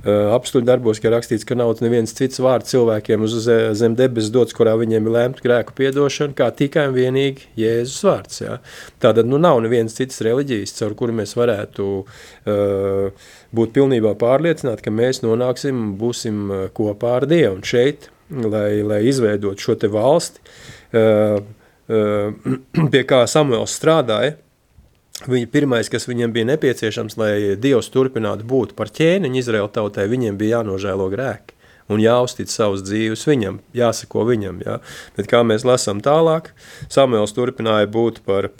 apstuļu darbos, ka rakstīts, ka nav neviens cits vārds cilvēkiem uz zem debesis dots, kurā viņiem ir lēmta grēku piedošana, kā tikai un vienīgi Jēzus vārds. Tātad nav neviens cits reliģijas, caur kuru mēs varētu būt pilnībā pārliecināti, ka mēs nonāksim un būsim kopā ar Dievu. Un šeit, lai izveidot šo te valsti, pie kā Samuels strādāja, Viņa pirmais, kas viņiem bija nepieciešams, lai Dievs turpinātu būt par ķēniņu Izraēla tautai, viņiem bija jānožēlo grēki un jāuztic savus dzīves viņam, jāsako viņam. Bet kā mēs lasām tālāk, Samuels turpināja būt par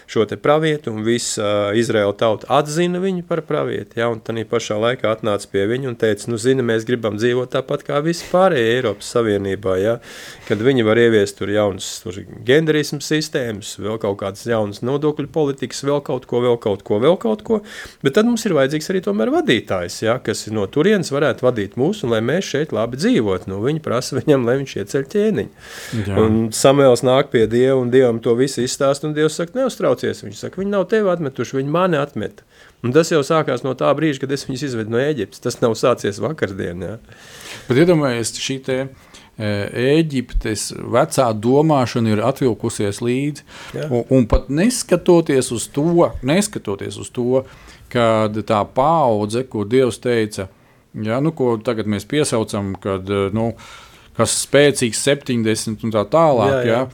šo te pravietu, un visa Izraēla tauta atzina viņu par pravieti, un tādā pašā laikā atnāca pie viņu un teica, mēs gribam dzīvot tāpat kā visi pārējie Eiropas Savienībā, kad viņi var ieviest tur jaunas genderismu sistēmas, vēl kaut kādas jaunas nodokļu politikas, vēl kaut ko, bet tad mums ir vajadzīgs arī tomēr vadītājs, kas no turienes varētu vadīt mūs, un lai mēs šeit labi dzīvot. Viņi prasa viņam, lai viņš ieceļ ķēniņu. Un Samuels nāk pie Dieva, un Dievam to visu izstāst, un Dievs saka, neuztraucies. Viņš saka, viņi nav tevi atmetuši, viņi mani atmeta. Un tas jau sākās no tā brīža, kad es viņus izvedu no Ēģiptes. Tas nav sācies vakardien. Bet iedomājies, šī te Ēģiptes vecā domāšana ir atvilkusies līdzi, un pat neskatoties uz to, kad tā paudze, ko Dievs teica, ko tagad mēs piesaucam, kad, kas spēcīgs 70 un tā tālāk,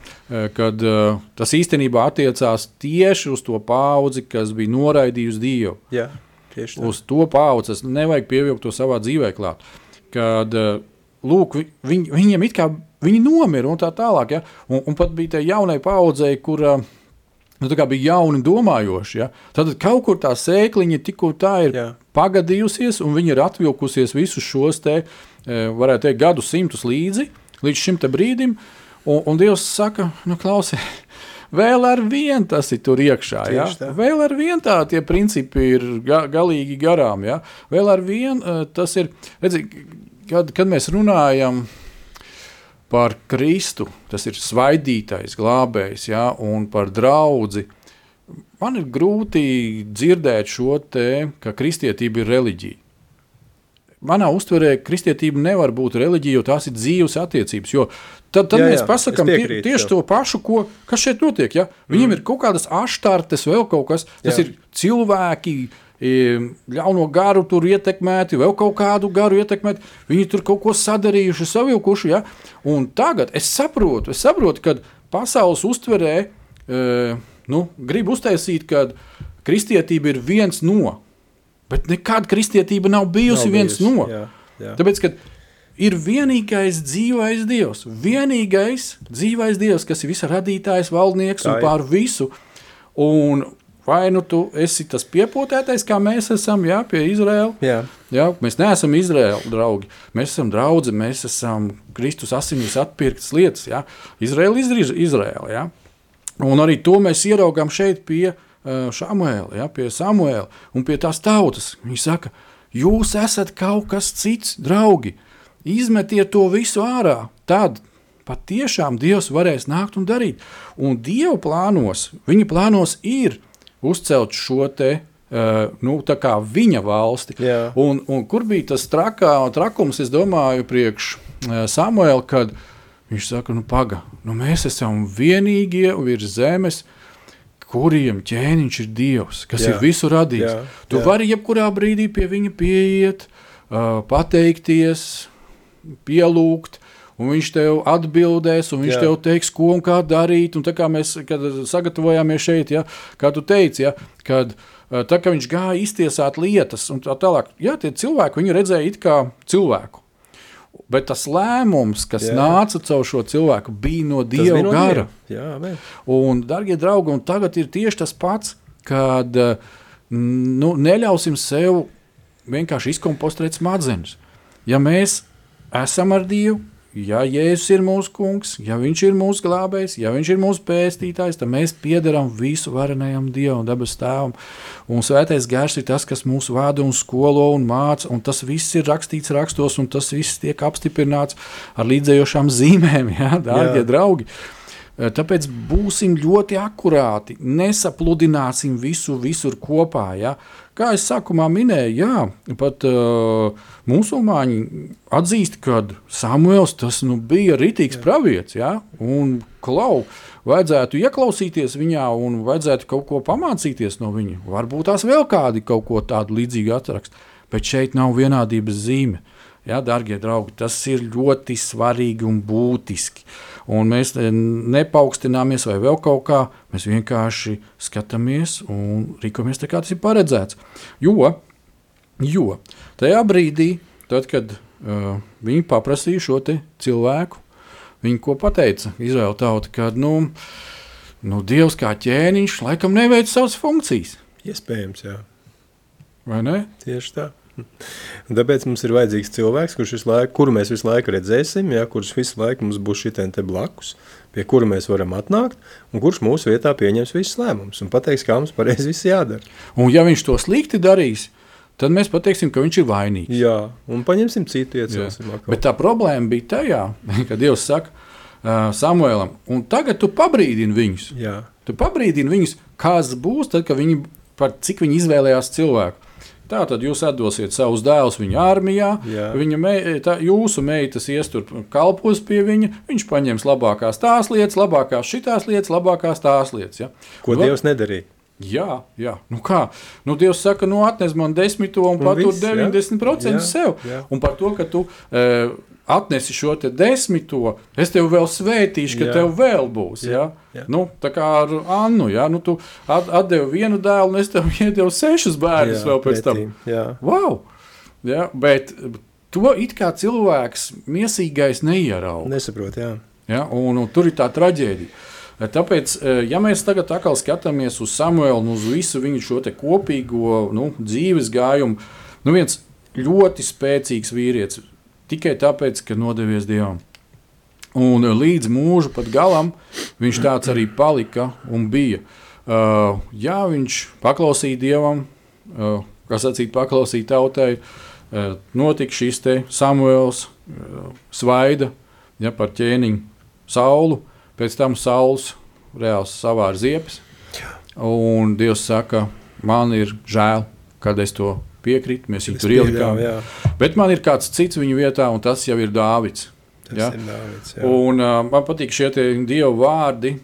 kad tas īstenībā attiecās tieši uz to paudzi, kas bija noraidījusi Dievu. Tieši tā. Uz to paudzi nevajag pievilkt to savā dzīvē klāt. Kad, lūk, viņiem it kā viņi nomira un tā tālāk, un pat bija tai jaunai paudzei, kura tā kā bija jauni domājoši. Tad kaut kur tā sēkliņa tikko tā ir pagadījusies, un viņi ir atvilkusies visus šos te, varētu teikt, gadu simtus līdz šim te brīdim, un Dievs saka, klausies, vēl ar vien tas ir tur iekšā, vēl ar vien tā tie principi ir galīgi garām, vēl ar vien tas ir, redzi, kad mēs runājam par Kristu, tas ir svaidītais, glābējs, un par draudzi. Man ir grūti dzirdēt šo te, ka kristietība ir reliģija. Manā uztverē kristietība nevar būt reliģija, jo tās ir dzīves attiecības, jo tad mēs pasakām tieši to pašu, kas šeit notiek. Viņiem ir kaut kādas aštartes, vēl kaut kas, tas ir cilvēki, ļauno garu tur ietekmēti, vēl kaut kādu garu ietekmēti, viņi tur kaut ko sadarījuši, savilkuši, un tagad es saprotu, kad pasaules uztverē, grib uztaisīt, kad kristietība ir viens no, bet nekad kristietība nav bijusi viens no, tāpēc, kad ir vienīgais dzīvais Dievs, kas ir visa radītājs, valdnieks un pār visu, un vai tu esi tas piepotētais, kā mēs esam, pie Izraēla? Mēs neesam Izraēla draugi. Mēs esam draudzi, mēs esam Kristus asinīs atpirktas lietas. Izraēla ir Izraēla. Un arī to mēs ieraugām šeit pie Šamuēla, pie Samuēla un pie tās tautas. Viņi saka, jūs esat kaut kas cits, draugi. Izmetiet to visu ārā. Tad patiešām Dievs varēs nākt un darīt. Un Dieva plānos, viņa plānos ir uzcelt šo te, tā kā viņa valsti. Un kur bija tas trakums, es domāju, priekš Samuēla, kad viņš saka, mēs esam vienīgie virs zemes, kuriem ķēniņš ir Dievs, kas ir visu radījis. Tu vari jebkurā brīdī pie viņa pieiet, pateikties, pielūgt, un viņš tev atbildēs, un viņš tev teiks, ko un kā darīt, un tā kā mēs, kad sagatavojāmies šeit, kā tu teici, kad tā kā viņš gāja iztiesāt lietas un tā tālāk, jā, tie cilvēki, viņi redzēja it kā cilvēku. Bet tas lēmums, kas nāca caur šo cilvēku, bija no Dieva gara. Jā, un, dargie draugi, un tagad ir tieši tas pats, kad neļausim sev vienkārši izkompostēt smadzenes. Ja mēs esam ar Dievu, ja Jēzus ir mūsu kungs, ja viņš ir mūsu glābējs, ja viņš ir mūsu pestītājs, tad mēs piederam visu varenajam Dievam, dabas tēvam. Un svētais gars ir tas, kas mūs vada un skolo un māca, un tas viss ir rakstīts rakstos, un tas viss tiek apstiprināts ar līdzējošām zīmēm, dārgie draugi. Tāpēc būsim ļoti akurāti, nesapludināsim visu visur kopā. Ja? Kā es sākumā minēju, pat musulmaņi atzīst, ka Samuels tas bija ritīgs pravietis, un vajadzētu ieklausīties viņā un vajadzētu kaut ko pamācīties no viņa. Varbūt tās vēl kādi kaut ko tādu līdzīgu atrakst, bet šeit nav vienādības zīme. Ja, dārgie draugi, tas ir ļoti svarīgi un būtiski. Un mēs nepaukstināmies vai vēl kaut kā, mēs vienkārši skatāmies un rīkojamies tā, kā tas ir paredzēts. Jo tajā brīdī, tad, kad viņi paprasīja šo te cilvēku, viņi ko pateica Izraēla tauta, ka Dievs kā ķēniņš laikam neveic savas funkcijas. Iespējams, jā. Vai ne? Tieši tā. Un tāpēc mums ir vajadzīgs cilvēks, kuru mēs visu laiku redzēsim, kurš visu laiku mums būs šitien te blakus, pie kura mēs varam atnākt, un kurš mūsu vietā pieņems visus lēmumus un pateiks, kā mums pareizi viss jādara. Un ja viņš to slikti darīs, tad mēs pateiksim, ka viņš ir vainīgs. Jā, un paņemsim citu iecelsim. Bet tā problēma bija tajā, kad Dievs saka Samuēlam, un tagad tu pabrīdini viņus. Jā. Tu pabrīdini viņus, kas būs tad, kad cik viņi izvēlējās cilvēku. Tātad jūs atdosiet savus dēlus viņa armijā, jūsu meitas ies tur kalpos pie viņa, viņš paņems labākās tās lietas, labākās šitās lietas, labākās tās lietas. Ja? Ko Dievs nedarīja? Jā. Kā? Dievs saka, atnes man 10 un patur 90% sev. Jā. Un par to, ka tu atnesi šo te 10, es tev vēl svētīšu, ka tev vēl būs. Jā. Tā kā ar Annu, tu atdevi vienu dēlu, un es tev iedevu 6 bērnus vēl pēc tam. Wow! Jā, bet to it kā cilvēks miesīgais neierauga. Nesaprot, jā. Un tur ir tā traģēdija. Tāpēc, ja mēs tagad atkal skatāmies uz Samuelu un uz visu viņu šo te kopīgo dzīves gājumu, viens ļoti spēcīgs vīrietis, tikai tāpēc, ka nodevies Dievam. Un līdz mūža pat galam viņš tāds arī palika un bija. Viņš paklausīja Dievam, paklausīja tautai, notika šis te Samuels svaida par ķēniņu Saulu, pēc tam Sauls reāls savāra ziepes, un Dievs saka, man ir žēl, kad es to piekrīt, mēs viņu tur ielikām. Bet man ir kāds cits viņu vietā, un tas jau ir Dāvids. Ir Dāvids, jā. Un man patīk šie Dieva vārdi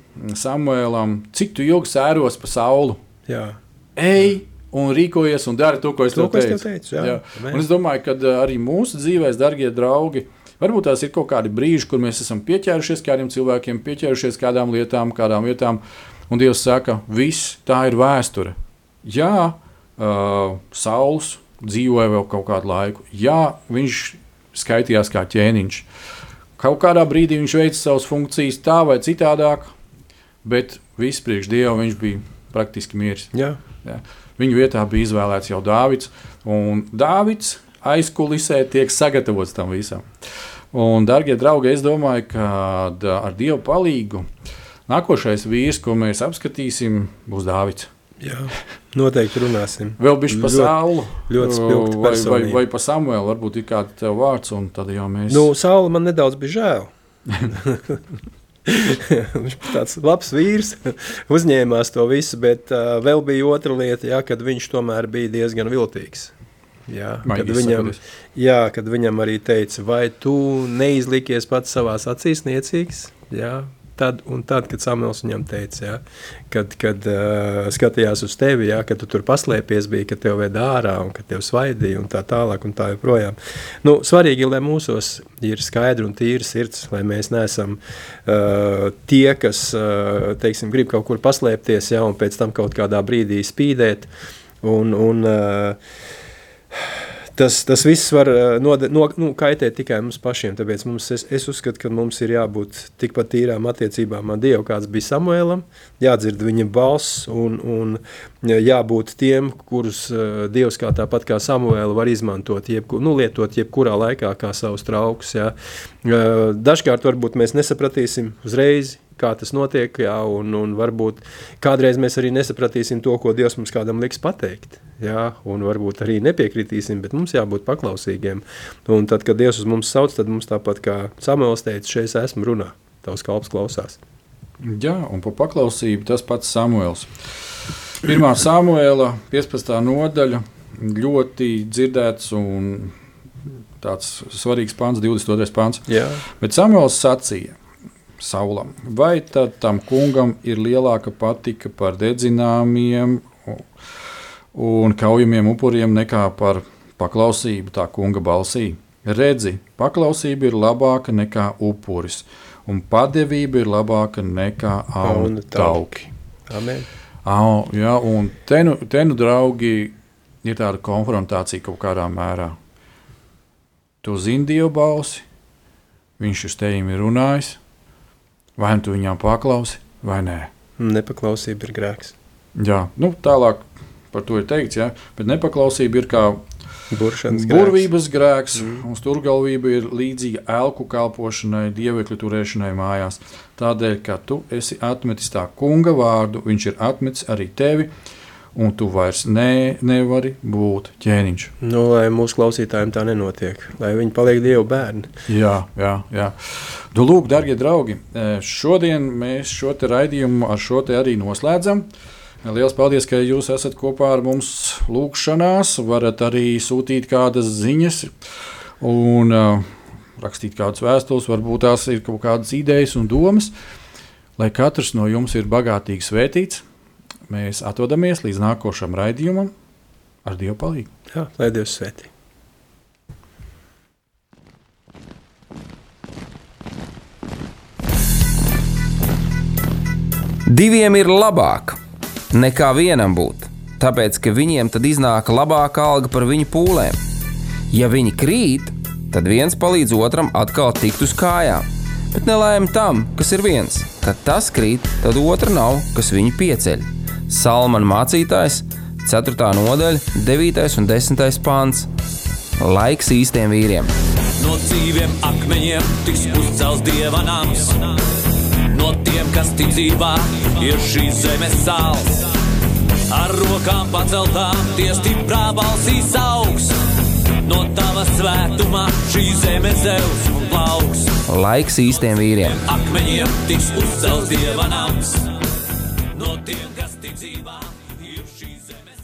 Samuēlam, cik tu ilgi sēros pa Saulu. Jā. Ej un rīkojies un dari to, ko es tev teicu. Jā. Un es domāju, ka arī mūsu dzīvēs, dargie draugi, varbūt tās ir kaut kādi brīži, kur mēs esam pieķērušies kādiem cilvēkiem, pieķērušies kādām lietām, kādām vietām, un Dievs saka, viss, tā ir vēsture. Jā, Sauls dzīvoja vēl kaut kādu laiku. Jā, viņš skaitījās kā ķēniņš. Kaut kādā brīdī viņš veica savas funkcijas tā vai citādāk, bet viss priekš Dieva viņš bija praktiski miris. Jā. Viņu vietā bija izvēlēts jau Dāvids, un Dāvids aizkulisē tiek sagatavots tam visam. Un, dargie draugi, es domāju, ka ar Dievu palīgu nākošais vīrs, ko mēs apskatīsim, būs Dāvids. Jā, noteikti runāsim. Vēl bišķi pa Saulu. Ļoti spilgta personība. Vai pa Samuelu, varbūt ir kāds tev vārds, un tad jau mēs... Saula man nedaudz bija žēl. Viņš bija tāds labs vīrs, uzņēmās to visu, bet vēl bija otra lieta, kad viņš tomēr bija diezgan viltīgs. Kad viņam arī teica, vai tu neizlikies pats savās acīs niecīgs? Tad, kad Samuels viņam teica, kad skatījās uz tevi, kad tu tur paslēpies bija, kad tev ved ārā un kad tev svaidīja un tā tālāk un tā joprojām. Svarīgi ir, lai mūsos ir skaidra un tīra sirds, lai mēs neesam tie, kas, grib kaut kur paslēpties, un pēc tam kaut kādā brīdī spīdēt. Un tas viss var kaitēt tikai mums pašiem, tāpēc es uzskatu, ka mums ir jābūt tikpat tīrām attiecībām ar Dievu, kāds bija Samuēlam, jādzird viņa balss un jābūt tiem, kurus Dievs kā tāpat kā Samuēlu var izmantot, lietot jebkurā laikā kā savus traukus. Jā. Dažkārt varbūt mēs nesapratīsim uzreiz, kā tas notiek, jā, un varbūt kādreiz mēs arī nesapratīsim to, ko Dievs mums kādam liks pateikt, jā, un varbūt arī nepiekritīsim, bet mums jābūt paklausīgiem. Un tad, kad Dievs uz mums sauc, tad mums tāpat kā Samuēls teica, šeit esmu runā, tavs kalps klausās. Jā, un par paklausību tas pats Samuēls. 1. Samuēla 15. nodaļa ļoti dzirdēts un tāds svarīgs pants, 22. pants. Jā. Bet Samuēls sacīja Saulam, vai tad tam kungam ir lielāka patika par dedzināmiem un kaujamiem upuriem nekā par paklausību tā kunga balsī? Redzi, paklausība ir labāka nekā upuris, un padevība ir labāka nekā aunu tauki. Amen. Jā, un te nu, draugi, ir tāda konfrontācija kaut kādā mērā. Tu zini Dievu balsi, viņš uz tevim ir runājis, vai tu viņām paklausi, vai nē. Nepaklausība ir grēks. Jā, tālāk par to ir teikts, jā, bet nepaklausība ir kā burvības grēks, un sturgalvība ir līdzīga elku kalpošanai, dievekļu turēšanai mājās. Tādēļ, ka tu esi atmetis tā kunga vārdu, viņš ir atmetis arī tevi, un tu vairs nevari būt ķēniņš. Lai mūsu klausītājiem tā nenotiek, lai viņi paliek Dievu bērni. Jā. Lūk, darbie draugi, šodien mēs šo te raidījumu ar šo te arī noslēdzam. Liels paldies, ka jūs esat kopā ar mums lūkšanās, varat arī sūtīt kādas ziņas un rakstīt kādas vēstules, varbūt tās ir kaut kādas idejas un domas, lai katrs no jums ir bagātīgi svētīts. Mēs atvadamies līdz nākošam raidījumam ar Dievu palīgu. Jā, lai Dievs svētī. Diviem ir labāk nekā vienam būt, tāpēc, ka viņiem tad iznāk labāka alga par viņu pūlēm. Ja viņi krīt, tad viens palīdz otram atkal tikt uz kājām, bet nelaime tam, kas ir viens. Kad tas krīt, tad otra nav, kas viņu pieceļ. Salmana mācītājs, 4. nodaļa, 9. un 10. pants. Laiks īstiem vīriem. No dzīviem akmeņiem tiks uzcelts Dieva nams. No tiem, kas ticībā ir šīs zemes sāls. Ar rokām paceltām tie stiprā balsīs augs. No tava svētumā šī zeme zeus un plauks. Laiks īstiem vīriem. Akmeņiem tiks uzcelts Dieva nams. No tiem, kas ticībā ir šīs zemes